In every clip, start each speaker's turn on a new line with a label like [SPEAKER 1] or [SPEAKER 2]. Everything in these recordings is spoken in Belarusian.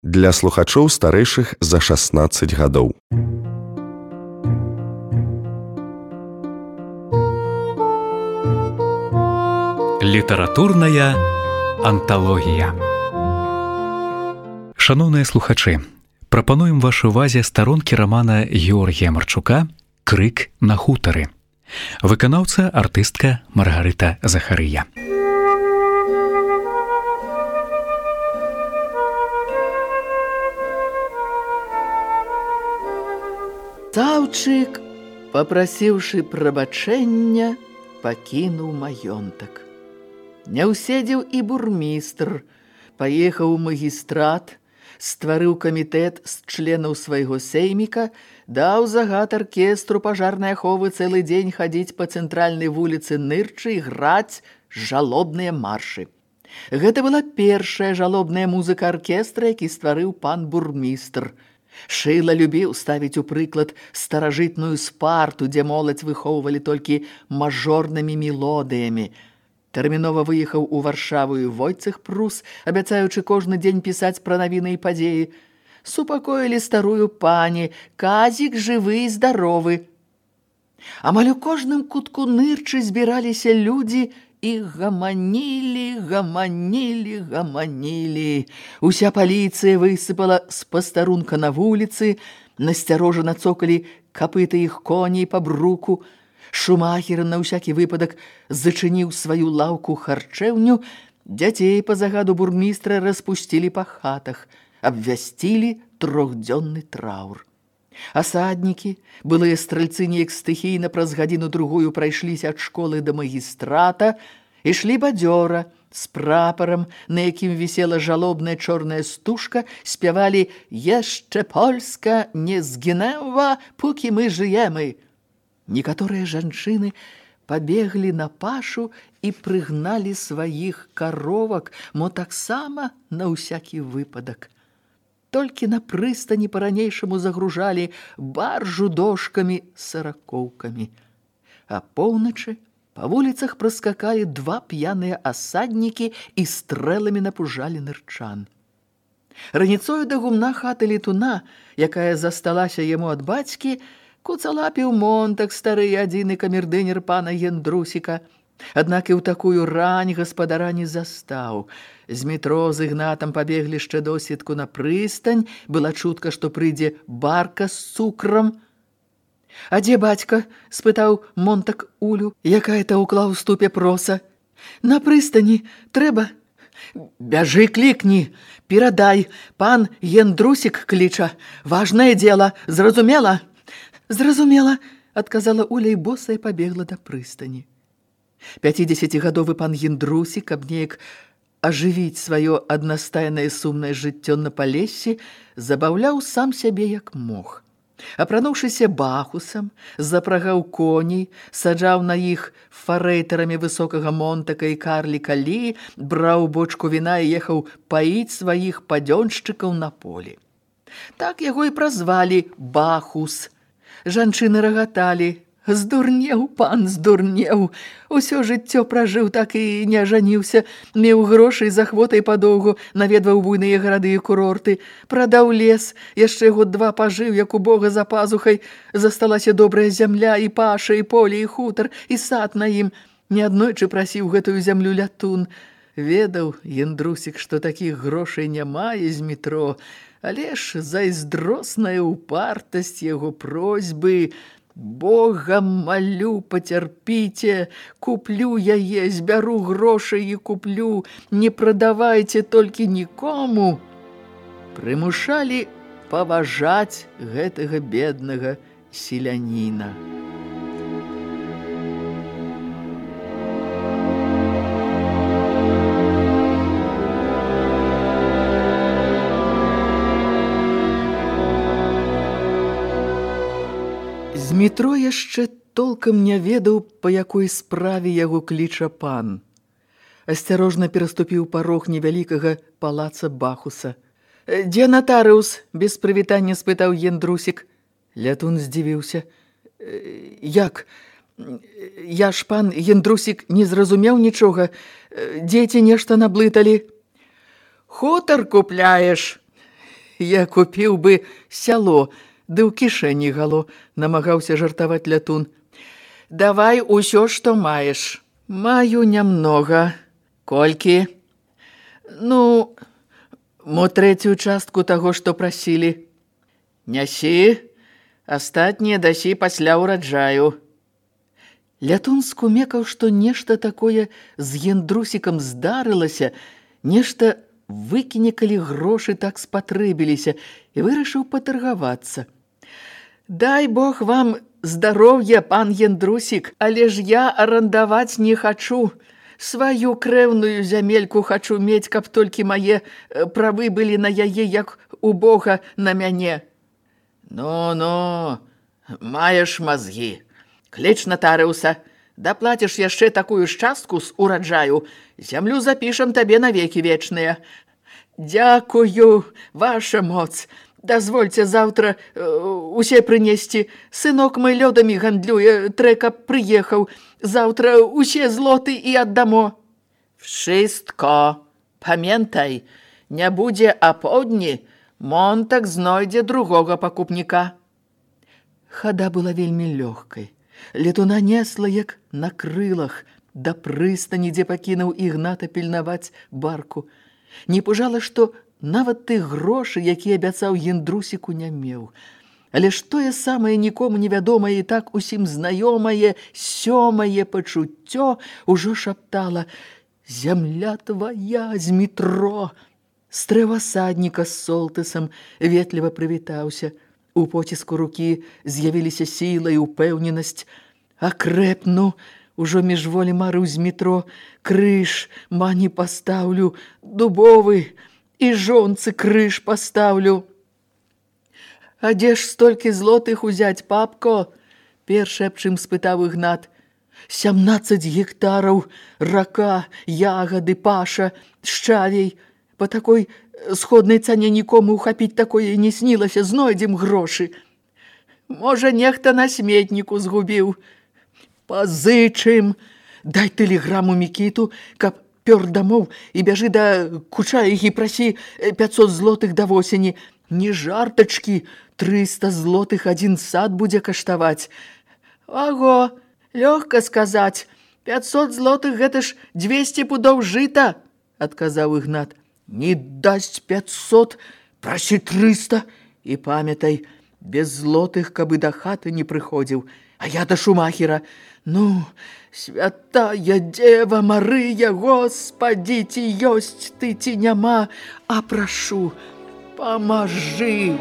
[SPEAKER 1] Для слухачоў старэйшых за 16 гадоў.
[SPEAKER 2] Літаратурная анталогія. Шаноўныя слухачы, прапануем вашай увазе старонкі рамана Георгія Марчука «Крык на хутары». Выканаўца артыстка Маргарыта Захарыя.
[SPEAKER 3] Стаўчык, папрасіўшы прабачэння, пакінуў маёнтак. Не ўседзеў і бурмістр, паехаў у магістрат, стварыў камітэт з членаў свайго сейміка, даў загад аркестру пажарнай аховы цэлы дзень хадзіць па цэнтральнай вуліцы Нырчы і граць жалобныя маршы. Гэта была першая жалобная музыка аркестра, які стварыў пан бурмістр. Шыла любіў ставіць у прыклад старажытную спарту, дзе моладзь выхоўвалі толькі мажорнымі мелодыямі. Тэрмінова выехаў у Варшаву і Войцэх Прус, абяцаючы кожны дзень пісаць пра навіны і падзеі. Супакоілі старую пані, казік жывы і здаровы. Амаль у кожным кутку Нырчы збіраліся людзі і гаманілі. Уся паліцыя высыпала з пастарунка на вуліцы, насцярожана цокалі капыты іх коней па бруку. Шумахер на ўсякі выпадак зачыніў сваю лаўку-харчэўню, дзяцей па загаду бурмістра распусцілі па хатах, абвясцілі 3-дзённы траўр. Асаднікі, былыя стральцы неяк стыхійна праз гадзіну-другую прайшліся ад школы да магістрата, ішлі бадзёра, з прапарам, на якім вісела жалобная чорная стужка, спявалі «Яшчэ Польска не згінэва, пукі мы жыемы». Некаторыя жанчыны пабеглі на пашу і прыгналі сваіх каровак, мо таксама на ўсякі выпадак. Толькі на прыстані па-ранейшаму загружалі баржу дошкамі саракоўкамі. А поўначы па вуліцах праскакалі 2 п'яныя асаднікі і стрэламі напужалі нырчан. Раніцою да гумна хаты летуна, якая засталася яму ад бацькі, куцалапіў Монтак, стары адзіны камердынер пана Яндрусіка. Аднак і ў такую рань гаспадара не застаў. З метро з Ігнатам пабеглі яшчэ досведку на прыстань, была чутка, што прыйдзе барка з цукрам. «А дзе бацька?» – спытаў Монтак Улю, якая таўкла ў ступе проса. «На прыстані трэба». «Бяжы, клікні, перадай, пан Яндрусік кліча, важнае дзела, зразумела?» «Зразумела», – адказала Уля і босая пабегла да прыстані. 50-гадовы пан Яндрусік, каб неяк ажывіць сваё аднастайнае сумнае жыццё на Палессі, забаўляў сам сябе як мог. Апрануўшыся бахусам, запрагаў коней, саджаў на іх фарэйтарамі высокага Монтака і карліка Лі, браў бочку віна і ехаў паіць сваіх падзёншчыкаў на полі. Так яго і празвалі Бахус. Жанчыны рагаталі. «Здурнеў, пан, здурнеў. Усё жыццё пражыў, так і не ажаніўся. Меў грошы з ахвотай падоўгу, наведваў буйныя гарады і курорты. Прадаў лес, яшчэ 2 пажыў, як у Бога за пазухай. Засталася добрая зямля, і паша, і поле, і хутар, і сад на ім. Неаднойчы прасіў гэтую зямлю лятун. Ведаў Яндрусік, што такіх грошай няма з метро, але ж зайздросная упартасць яго просьбы. «Бога малю, пацярпіце, куплю яе, збяру грошай і куплю, не прадавайце толькі нікому». Прымушалі паважаць гэтага беднага селяніна. З метро яшчэ толкам не ведаў, па якой справе яго кліча пан. Асцярожна пераступіў парог невялікага палаца Бахуса. «Дзе натарыус?» – без прывітання спытаў Яндрусік. Лятун здзівіўся. «Як? Я ж, пан Яндрусік, не зразумеў нічога. Дзеці нешта наблыталі». «Хутар купляеш?» Я купіў бы сяло, ды ў кішэні гало, намагаўся жартаваць Лятун. Давай усё, што маеш. Маю нямнога. Колькі? Ну, мо трэцюю частку таго, што прасілі. Нясі, астатнія дасі пасля ўраджаю. Лятун скумекаў, што нешта такое з Яндрусікам здарылася, нешта выкіне, калі грошы так спатрэбіліся, і вырашыў патаргавацца. Дай Бог вам здароўя, пан Яндрусік, але ж я арандаваць не хачу. Сваю крэўную зямельку хачу мець, каб толькі мае правы былі на яе, як у Бога на мяне. Ну, маеш мазгі. Кліч натарыуса, даплаціш яшчэ такую ж частку з ураджаю, зямлю запішам табе навекі вечныя. Дякую, ваша моц. Дазвольце заўтра усе прынесці. Сынок мой лёдамі гандлюе, трэка прыехаў. Заўтра усе злоты і аддамо. Wszystko. Памятай, не будзе апоўдні, Монтак знойдзе другога пакупніка. Хада была вельмі лёгкай. Летуна несла, як на крылах, да прыстані, дзе пакінуў Ігната пільнаваць барку. Не пужала, што нават тых грошы, які абяцаў Яндрусіку, не меў. Але ж тое самае нікому невядомае і так усім знаёмае сёмае пачуццё ўжо шаптала: «Зямля твая з метро!» Стрэвасадніка з Солтысам ветліва прывітаўся. У поціску рукі з'явіліся сіла і ўпэўненасць. Акрэпну, ужо міжволі марыў з метро, крыж мані пастаўлю, дубовы, і жонцы крыж пастаўлю. А дзе ж столькі злотых узяць, папко? Першы аб чым спытаў Ігнат. 17 гектараў, рака, ягады, паша, шчавей. Па такой сходнай цане нікому ухапіць такое не снілася, знойдзем грошы. Можа, нехта на сметніку згубіў. Пазычым. Дай тэлеграму Мікіту, каб пёр дамоў і бяжы да Кучаіхі, прасі 500 злотых да восені. Не жартачкі, 300 злотых адзін сад будзе каштаваць. Аго, лёгка сказаць, 500 злотых гэта ж 200 пудоў жыта, адказаў Ігнат. Не дасць 500, прасі 300. І памятай, без злотых, каб і да хаты не прыходзіў. А я да шумахера. Ну, святая Дева Марыя, Господі, ці ёсць ты, ці няма, а прашу, памажы.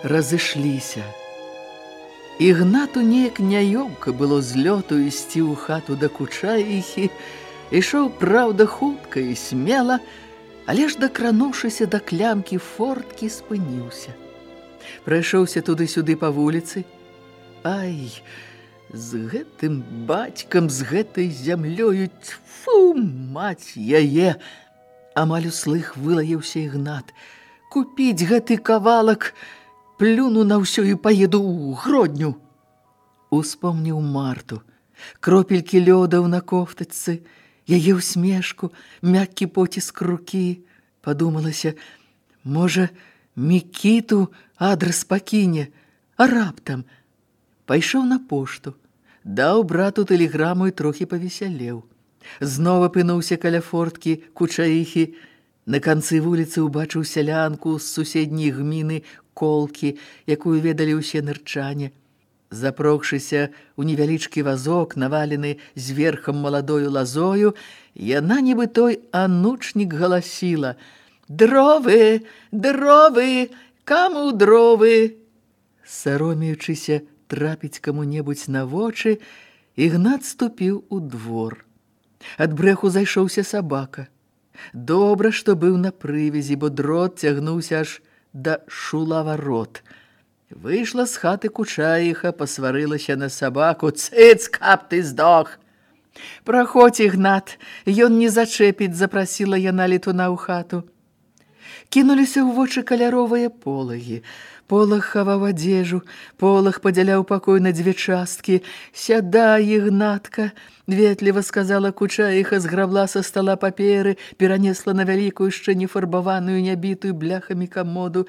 [SPEAKER 3] Разышліся. Ігнату неяк няёмка было з лёту ісці ў хату да Кучаіхі. Ішоў, праўда, хутка і смела, але ж дакрануўшыся да клямкі форткі, спыніўся. Прайшоўся туды-сюды па вуліцы. Ай, з гэтым бацькам, з гэтай зямлёю, тьфу, маць яе! Амаль услых вылаяўся Ігнат. Купіць гэты кавалак, плюну на ўсё і паеду ў Гродню. Успомніў Марту, кропелькі лёдаў на кофтачцы, яе ўсмешку, мяккі поціск рукі. Падумалася, можа, Мікіту адрас пакіне, а раптам. Пайшоў на пошту, даў брату тэлеграму і трохі павесялеў. Зноў апынуўся каля форткі Кучаіхі. На канцы вуліцы ўбачыў сялянку з суседняй гміны Колкі, якую ведалі ўсе нырчане. Запрогшыся ў невялічкі вазок, навалены зверхам маладою лазою, яна, нібы той анучнік, галасіла: «Дровы, дровы, каму дровы!» Саромеючыся трапіць каму-небудзь на вочы, Ігнат ступіў у двор. Ад брэху зайшоўся сабака. Добра, што быў на прывязі, бо дрот цягнуўся аж да шулаварот. Выйшла з хаты Кучаіха, пасварылася на сабаку. «Цыц, каб ты здох!» «Праходзь, Ігнат, ён не зачэпіць», запрасіла яна летуна ў хату. Кінуліся ў вочы каляровыя полагі. Полаг хаваў адзежу, полаг падзяляў пакой на дзве часткі. «Сядай, Ігнатка», ветліва сказала Кучаіха, зграбла са стала паперы, перанесла на вялікую, яшчэ не фарбаваную, нябітую бляхамі камоду.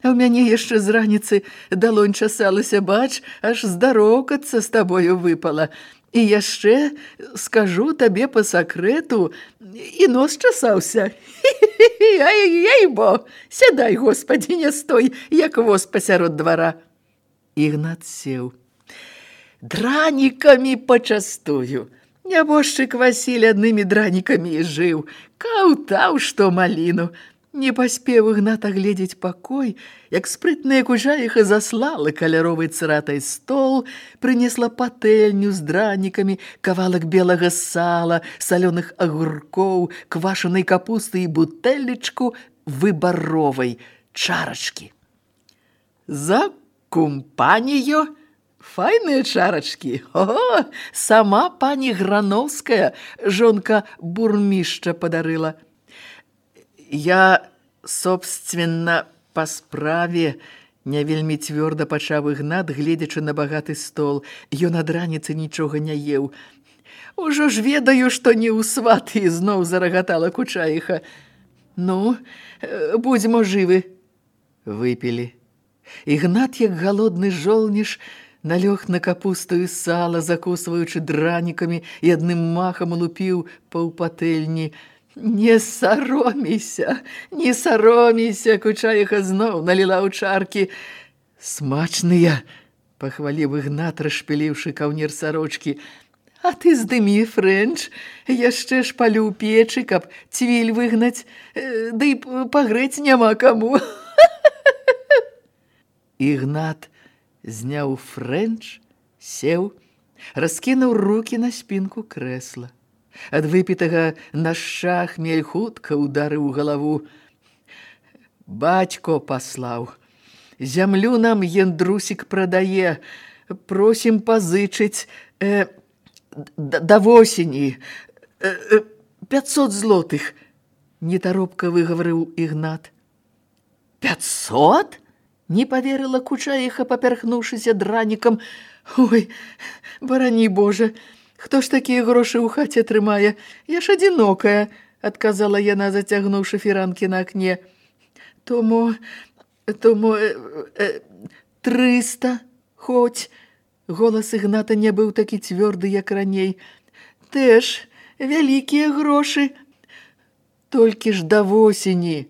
[SPEAKER 3] «А ў мяне яшчэ з раніцы далонь часалася, бач, аж здароўкацца з табою выпала. І яшчэ скажу табе па сакрэту, і нос часаўся. Ай-бо, сядай, Господі, не стой, як воз пасярод двара». Ігнат сеў. «Дранікамі пачастую. Нябожчык Васіль аднымі дранікамі і жыў. Каўтаў, што маліну». Не паспеў Ігнат агледзець пакой, як спрытная Кучаіха заслала каляровай цыратай стол, прынесла патэльню з дранікамі, кавалак белага сала, салёных агуркоў, квашанай капусты і бутэлечку выбаровай чарачкі. «За кумпанію! Файныя чарачкі! О, сама пані Грановская, жонка бурмішча, падарыла». «Я, собственно, па справе», не вельмі цвёрда пачаў Ігнат, гледзячы на багаты стол. Ён ад раніцы нічога не еў. «Ужо ж ведаю, што не ў сваты», зноў зарагатала Кучаіха. «Ну, будзьмо жывы». Выпілі. Ігнат, як галодны жолніш, налёг на капусту і сала, закусваючы дранікамі, і адным махам лупіў паўпатэльні. «Не саромейся, не саромейся», Кучаіха зноў наліла ў чаркі. «Смачныя», пахваліў Ігнат, расшпіліўшы каўнер сарочкі. «А ты здымі, Фрэнч, яшчэ ж палю ў печы, каб цвіль выгнаць, ды і пагрэць няма каму». Ігнат зняў Фрэнч, сеў, раскінуў рукі на спінку крэсла. Ад выпітага нашча хмель хутка ударыў галаву. «Бацько паслаў. Зямлю нам Яндрусік прадае. Просім пазычыць да восені. 500 злотых», нетаропка выгаварыў Ігнат. «500?» не паверыла Кучаіха, папярхнуўшыся дранікам. «Ой, барані Божа! Хто ж такія грошы ў хаце трымае? Я ж адзінокая», адказала яна, зацягнуўшы фіранкі на акне. «Тому 300 хоць». Голас Ігната не быў такі цвёрды, як раней. «Тэж вялікія грошы. Толькі ж да восені».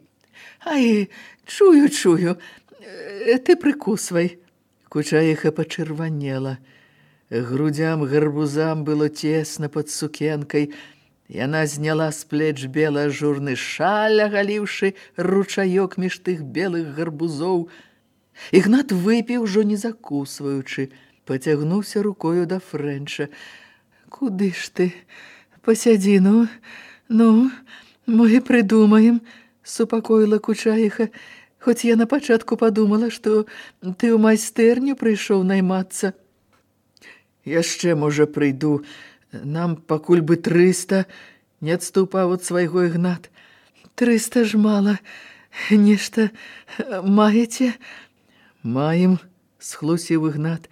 [SPEAKER 3] «Ай, чую. Ты прыкусвай». Кучаіха пачырванела. Грудзям гарбузам было цесна пад сукенкай. Яна зняла з плеч белы ажурны шаль, агаліўшы ручаёк між тых белых гарбузоў. Ігнат выпіў, ужо не закусваючы, пацягнуўся рукою да Фрэнча. «Куды ж ты? Пасядзі, ну, мы прыдумаем», супакоіла Кучаіха, хоць я на пачатку падумала, што ты ў майстэрню прыйшоў наймацца. «Яшчэ, можа, прыйду. Нам пакуль бы 300, не адступаў ад свайго Ігнат. 300 ж мала. Нешта маеце?» «Маем», схлусіў Ігнат.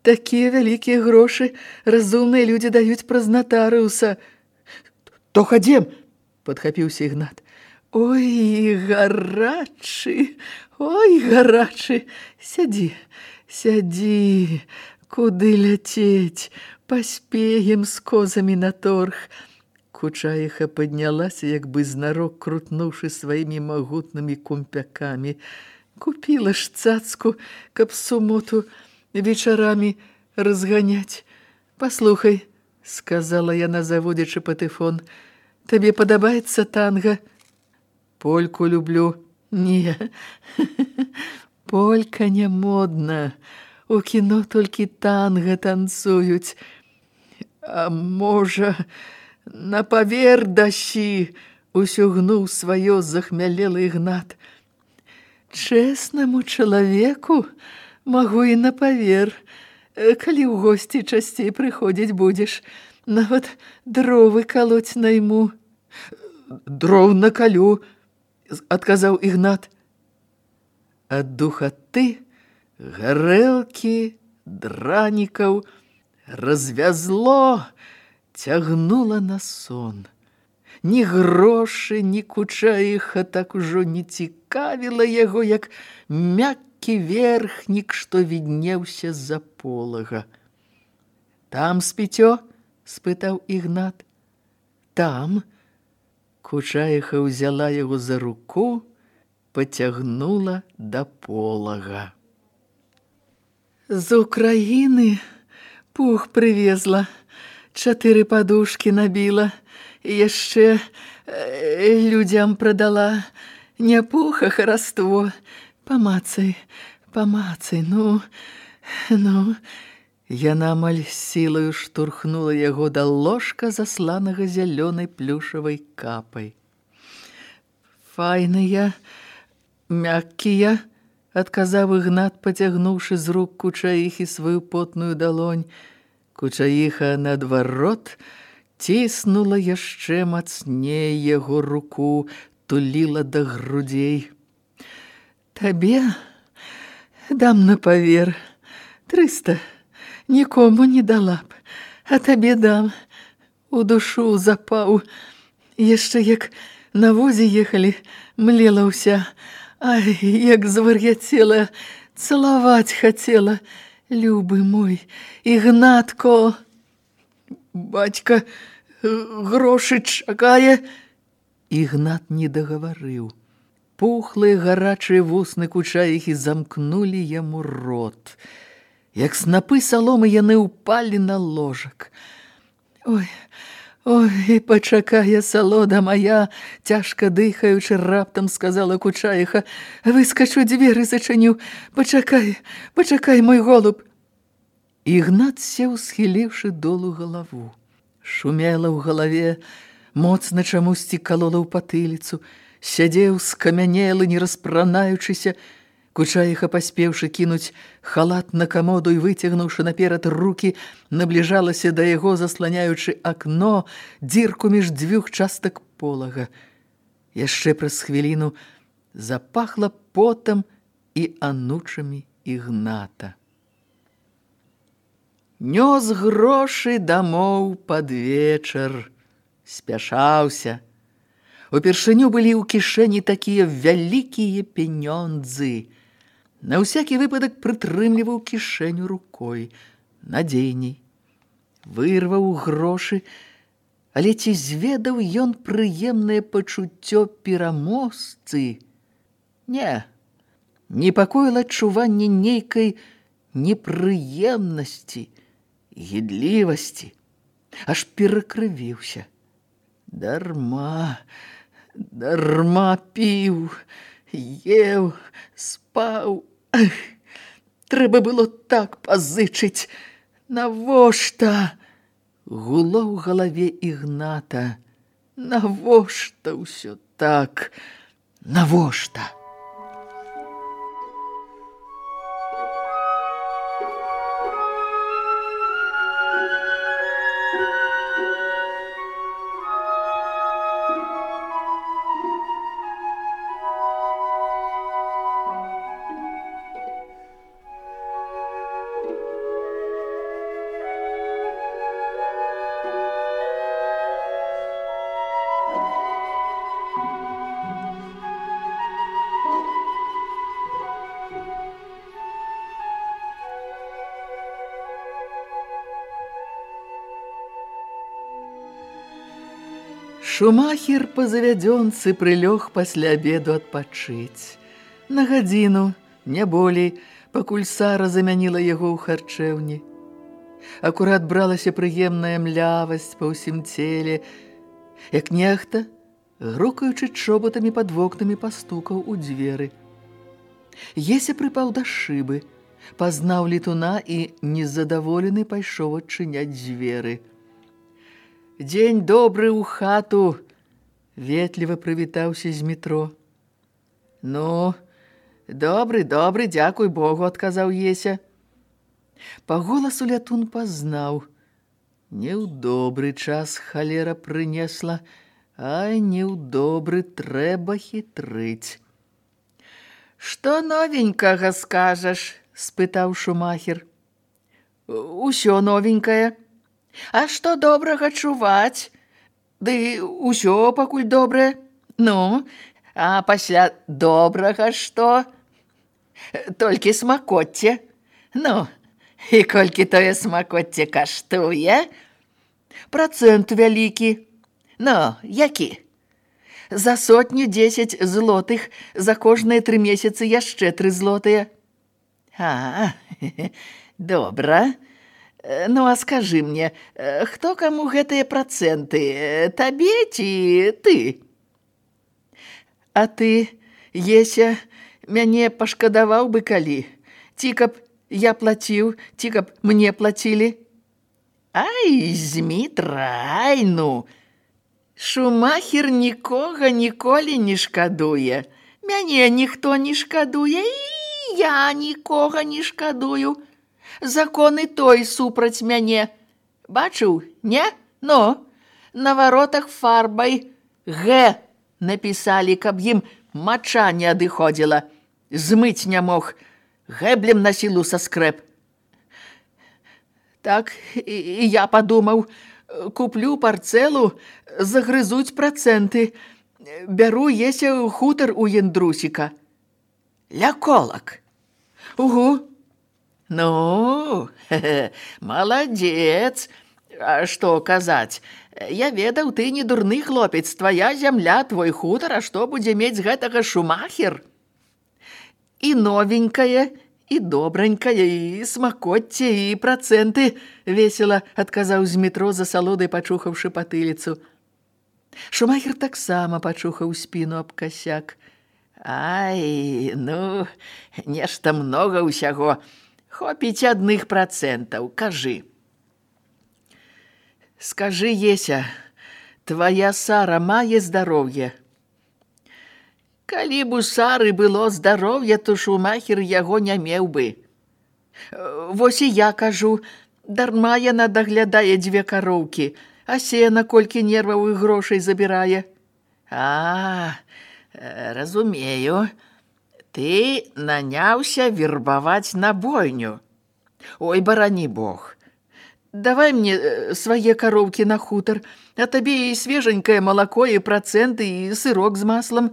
[SPEAKER 3] «Такія вялікія грошы разумныя людзі даюць праз натарыуса». «То хадзем», падхапіўся Ігнат. «Ой, гарачы, сядзі. Куды ляцець? Паспеем з козамі на торг». Кучаіха паднялася, як бы знарок крутнуўшы сваімі магутнымі кумпякамі. «Купіла ж цацку, каб сумоту вечарамі разганяць. Паслухай», сказала яна, заводзячы патэфон, «табе падабаецца танга?» «Польку люблю». «Не, полька не модна. У кіно толькі танга танцуюць. А можа, на павер дасі?» Усё гнуў сваё захмялелы Ігнат. Чэснаму чалавеку магу і на павер, калі ў госці часцей прыходзіць будзеш, нават дровы калоць найму. Дров накалю, адказаў Ігнат. Ад духаты, гарэлкі, дранікаў развязло, цягнула на сон. Ні грошы, ні кучаіха так ужо не цікавіла яго, як мяккі верхнік, што віднеўся з-за полага. Там спіцё? Спытаў Ігнат. Там. Кучаіха ўзяла яго за руку, пацягнула да полага. З Украіны пух прывезла, 4 падушкі набіла, і яшчэ людзям прадала. Не пух, а хараство. Памацай, ну. Яна амаль сілаю штурхнула яго да ложка, засланага зялёнай плюшавай капай. Файныя, мяккія, адказаў Ігнат, пацягнуўшы з рук Кучаіхі сваю потную далонь. Кучаіха, наадварот, ціснула яшчэ мацней яго руку, туліла да грудзей. Табе дам на павер 300. Нікому не дала б, а табе дам. У душу запаў. Яшчэ як на возе ехалі, млела ўся. Ай, як звар'яцела, цалаваць хацела. Любы мой, Ігнатко. Бацька грошы чакае. Ігнат не дагаварыў. Пухлыя гарачыя вусны Кучаіхі замкнулі яму рот. Як снапы саломы яны ўпалі на ложак. Ой, пачакае салода моя, цяжка дыхаючы, раптам сказала Кучаіха. Выскачу, дзверы зачыню. Пачакай, мой голуб. Ігнат сеў, схіліўшы долу галаву. Шумела ў галаве, моцна чамусьці калола ў патыліцу. Сядзеў скамянелы, не распранаючыся. Кучаіха, паспеўшы кінуць халат на камоду і выцягнуўшы наперад рукі, набліжалася да яго, засланяючы акно, дзірку між 2 частак полага. Яшчэ праз хвіліну запахла потам і анучамі Ігната. Нёс грошы дамоў пад вечар. Спяшаўся. Упершыню былі ў кішэні такія вялікія пенёндзы. На ўсякі выпадак прытрымліваў кішэню рукой. Надзейней. Вырваў грошы, але ці зведаў ён прыемнае пачуццё пераможцы? Не. Непакоіла адчуванне нейкай непрыемнасці, гідлівасці. Аж перакрывіўся. Дарма піў, еў, спаў. Трэба было так пазычыць. Навошта? Гуло ў галаве Ігната. Навошта ўсё так? Навошта? Шумахер па завядзёнцы прылёг пасля абеду адпачыць. На гадзіну, не болей, пакуль Сара замяніла яго ў харчэўні. Акурат бралася прыемная млявасць па ўсім целе, як нехта, грукаючы чоботамі пад вокнамі, пастукаў у дзверы. Еся прыпаў да шыбы, пазнаў летуна і, незадаволены, пайшоў адчыняць дзверы. Дзень добры ў хату, ветліва прывітаўся з метро. Ну, добры, дзякуй Богу, адказаў Еся. Па голасу лятун пазнаў. Не ў добры час халера прынесла, а не ў добры трэба хітрыць. Што новенькага скажаш? Спытаў Шумахер. Усё новенькае. А што добрага чуваць? Ды усё пакуль добрае. Ну, а пасля добрага што? Толькі смакоцце. Ну, і колькі тое смакоцце каштуе? Працэнт вялікі. Ну, які? За 110 злотых, за кожныя 3 месяцы яшчэ 3 злотыя. А, добра. Ну, а скажы мне, хто каму гэтыя працэнты? Табе ці ты? А ты, Еся, мяне пашкадаваў бы калі? Ці каб я плаціў, ці каб мне плацілі? Ай, Змітра, ай, ну! Шумахер нікога ніколі не шкадуе. Мяне ніхто не шкадуе, і я нікога не шкадую. Закон і той супраць мяне. Бачыў, не? Ну, на варотах фарбай «Г» напісалі, каб ім мача не адыходзіла. Змыць не мог. Гэблем на сілу саскрэп. Так, і я падумаў, куплю парцэлу, загрызуць працэнты. Бяру Еся хутар у Яндрусіка. Ляколак. Угу. Ну, маладзец. А што казаць? Я ведаў, ты не дурны хлопец, твая зямля, твой хутар, а што будзе мець гэтага Шумахер? І новенькае, і добранькае, і смакоцце, і працэнты, весела адказаў з метро за салодай, пачухаўшы патыліцу. Шумахер таксама пачухаў спіну аб касяк. Ай, ну, нешта многа ўсяго. Хопіць адных працэнтаў, кажы. Скажы, Еся, твая Сара мае здароўе? Калі б у Сары было здароўе, то Шумахер яго не меў бы. Вось і я кажу, дарма яна даглядае 2 кароўкі, а сена колькі нерваў і грошай забірае. А, разумею. Ты наняўся вербаваць на бойню. Ой, барані Бог. Давай мне свае кароўкі на хутар, а табе і свеженькае малако, і працэнты, і сырок з маслам.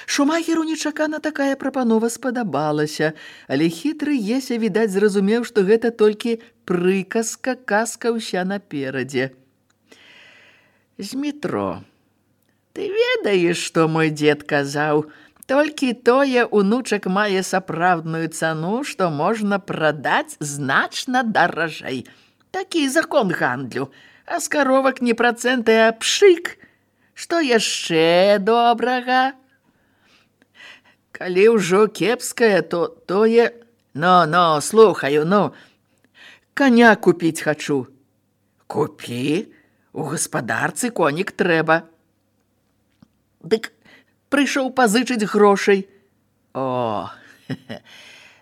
[SPEAKER 3] Шумахеру нечакана такая прапанова спадабалася, але хітры Еся, відаць, зразумеў, што гэта толькі прыказка, казка ўся наперадзе. Змітро, ты ведаеш, што мой дзед казаў? Толькі тое унучак мае сапраўдную цану, што можна прадаць значна даражэй. Такі закон гандлю. А з каровак не працэнты, а пшык. Што яшчэ добрага? Калі ўжо кепскае, то тое... Ну, слухаю, ну. Коня купіць хачу. Купі? У гаспадарцы конік трэба. Дык прыйшоў пазычыць грошай. О,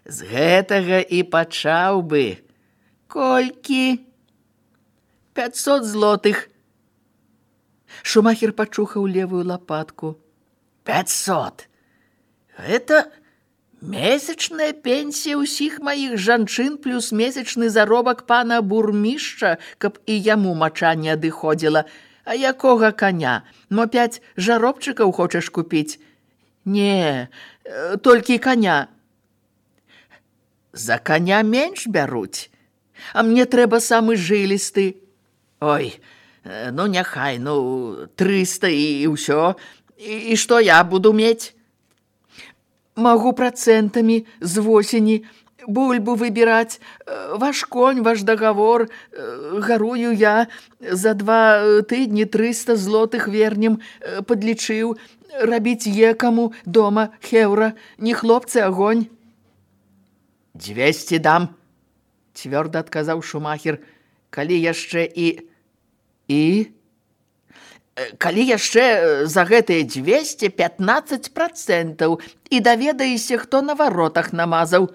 [SPEAKER 3] з гэтага і пачаў бы. Колькі? 500 злотых. Шумахер пачухаў левую лапатку. 500? Гэта месячная пенсія ўсіх маіх жанчын плюс месячны заробак пана бурмішча, каб і яму мача не адыходзіла. А якога коня? Мо 5 жаробчыкаў хочаш купіць? Не, толькі коня. За коня менш бяруць. А мне трэба самы жылісты. Ой, ну няхай, 300 і ўсё. І што я буду мець? Магу працэнтамі з восені бульбу выбіраць. Ваш конь, ваш дагавор. Гарую я. За 2 тыдні 300 злотых вернем падлічыў. Рабіць екаму дома хеўра. Не хлопцы, агонь. 200 дам, цвёрда адказаў Шумахер. Калі яшчэ і... калі яшчэ за гэтыя 215% і даведаешся, хто на варотах намазаў.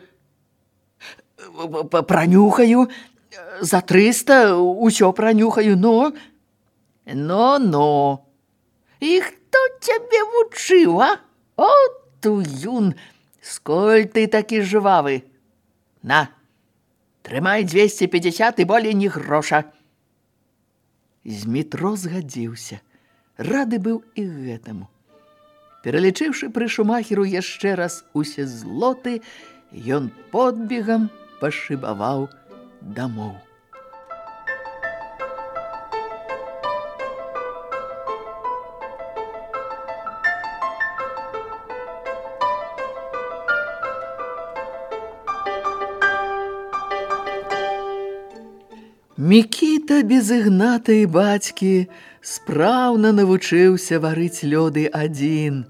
[SPEAKER 3] Пранюхаю, за 300 усё пранюхаю, но... Но. І хто цябе вучыў, а? О, туюн, сколь ты такі жвавы. На, трымай 250 і болей ні гроша. Змітро згадзіўся. Рады быў і гэтаму. Пералічыўшы пры шумахеру яшчэ раз усе злоты, ён подбегам пашыбаваў дамоў. Мікіта без Ігната і бацькі спраўна навучыўся варыць лёды адзін.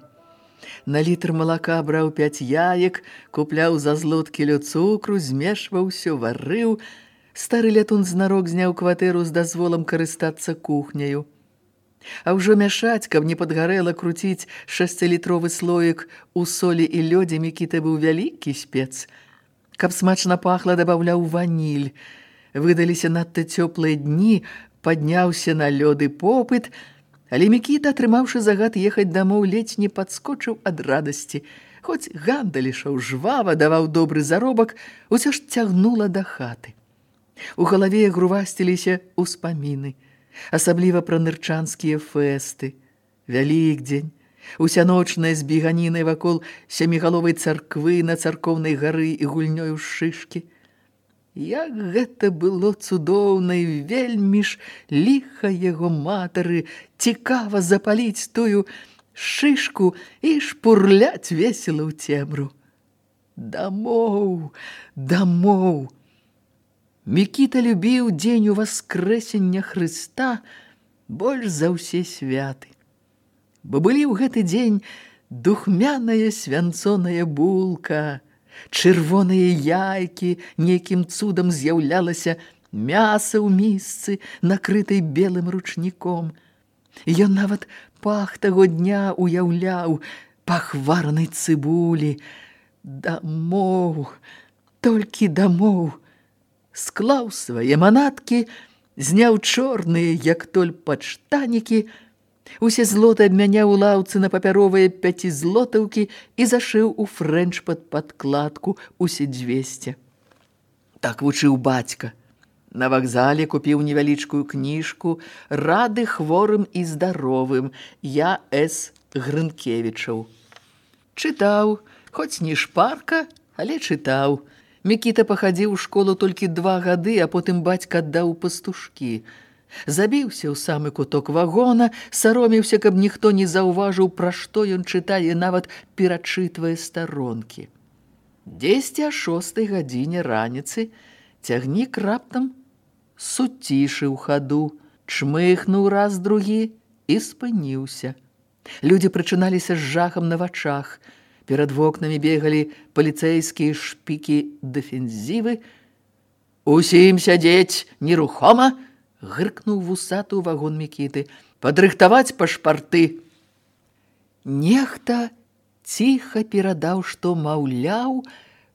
[SPEAKER 3] На літр малака браў 5 яек, купляў за злоткі лёд цукру, змешваў усё, варыў. Стары лятун знарок зняў кватэру з дазволам карыстацца кухняю. А ўжо мяшаць, каб не падгарэла, круціць 6-літровы слоік у солі і лёдзе, Мікіта быў вялікі спец. Каб смачна пахла, дабаўляў ваніль. Выдаліся надта цёплыя дні, падняўся на лёды попыт, але Мікіта, атрымаўшы загад ехаць дамоў, ледзь не падскочыў ад радасці. Хоць гандаль ішоў жвава, даваў добры заробак, усё ж цягнула да хаты. У галаве грувасціліся ўспаміны, асабліва пра нырчанскія фэсты. Вялікдзень, усяночная збеганіна вакол сямігаловай царквы на царкоўнай гары і гульнёю шышкі. Як гэта было цудоўна і вельмі ж ліха яго матары, цікава запаліць тую шышку і шпурляць весела ў цемру. Дамоў, дамоў! Мікіта любіў дзень уваскрэсення Хрыста больш за ўсе святы. Бо былі ў гэты дзень духмяная свянцоная булка, чырвоныя яйкі, нейкім цудам з'яўлялася мяса ў місцы, накрытай белым ручніком. Ён нават пах таго дня уяўляў, пах варанай цыбулі. Дамоў, толькі дамоў. Склаў свае манаткі, зняў чорныя, як толь падштанікі, усе злоты абмяняў у лаўцы на папяровыя 5-злотаўкі і зашыў у фрэнч пад падкладку усе 200. Так вучыў бацька. На вакзале купіў невялічкую кніжку «Рады хворым і здаровым» Я. С. Грынкевічаў. Чытаў, хоць не шпарка, але чытаў. Мікіта пахадзіў у школу толькі 2 гады, а потым бацька аддаў пастушкі. Забіўся ў самы куток вагона, саромеўся, каб ніхто не заўважыў, пра што ён чытае, нават перачытвае старонкі. Дзесьці о 6 гадзіне раніцы цягнік раптам суцішыў хаду, чмыхнуў раз другі і спыніўся. Людзі прачыналіся з жахам на вачах. Перад вокнамі бегалі паліцэйскія шпікі-дэфензівы. «Усім сядзець нерухома!» гыркнуў вусаты ў вагон Мікіты. «Падрыхтаваць пашпарты!» Нехта ціха перадаў, што, маўляў,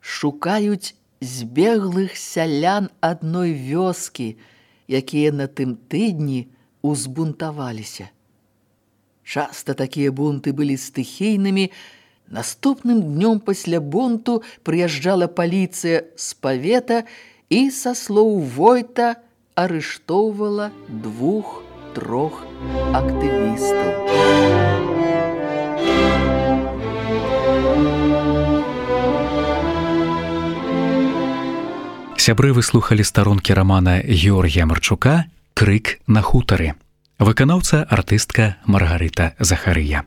[SPEAKER 3] шукаюць збеглых сялян адной вёскі, якія на тым тыдні узбунтаваліся. Часта такія бунты былі стыхійнымі. Наступным днём пасля бунту прыязджала паліцыя з павета і, са слоў войта, арыштоўвала 2-3 актывістаў.
[SPEAKER 2] Сябры, вы слухалі старонкі рамана Георгія Марчука «Крык на хутары». Выканаўца артыстка Маргарыта Захарыя.